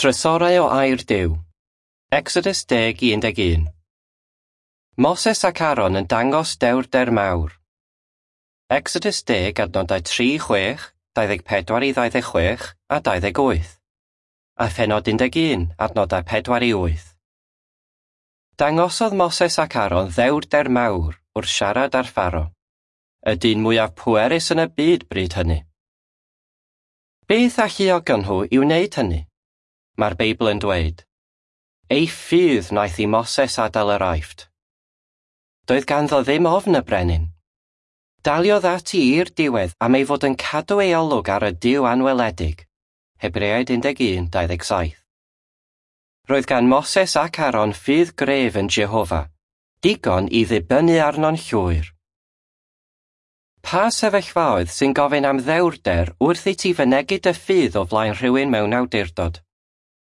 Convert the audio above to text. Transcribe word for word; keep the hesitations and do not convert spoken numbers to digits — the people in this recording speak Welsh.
Trysorau o Air Duw. Exodus deg i un deg un. Moses ac Aaron yn dangos dewrder mawr. Exodus deg adnodau tri chwech, dau ddeg pedwar i ddau ddeg chwech a dau ddeg wyth. A phennod un deg un, adnodau pedwar i wyth. Dangosodd Moses ac Aaron ddewrder mawr wrth siarad â'r Pharo, y dyn mwyaf pwerus yn y byd bryd hynny. Beth alluogon nhw i wneud hynny? Mae'r Beibl yn dweud, ei ffydd wnaeth i Moses adael yr Aifft. Doedd ganddo ddim ofn y brenin. Daliodd ati i'r diwedd am ei fod yn cadw ei olwg ar y Duw anweledig. Hebreaid un deg un dau ddeg saith. Roedd gan Moses ac Aaron ffydd gref yn Jehofa, digon i ddibynnu arno'n llwyr. Pa sefyllfaoedd sy'n gofyn am ddewrder wrth i ti fynegi dy ffydd o flaen rhywun mewn awdurdod?